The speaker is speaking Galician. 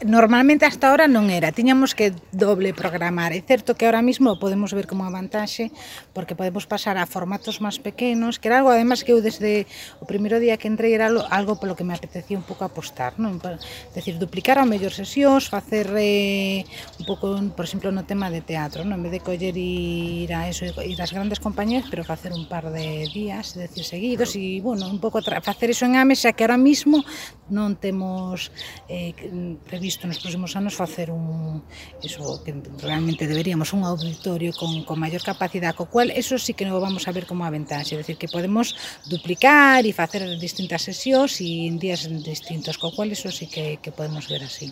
Normalmente hasta ahora non era, tiñamos que doble programar. É certo que ahora mismo podemos ver como a vantaxe porque podemos pasar a formatos máis pequenos, que era algo además que eu desde o primeiro día que entrei era algo polo que me apetecía un pouco apostar, non? Decir, duplicar ao mellor sesións, facer un pouco, por exemplo, no tema de teatro, non? En vez de coller ir a eso, ir ás grandes compañías, pero facer un par de días, decir, seguidos e, bueno, un pouco facer eso en Ames, xa que ahora mismo non temos previsto nos próximos anos facer eso que realmente deberíamos, un auditorio con maior capacidade, co cual eso sí que non vamos a ver como a ventaxe, é dicir, que podemos duplicar e facer distintas sesións e en días distintos, co cual eso sí que podemos ver así.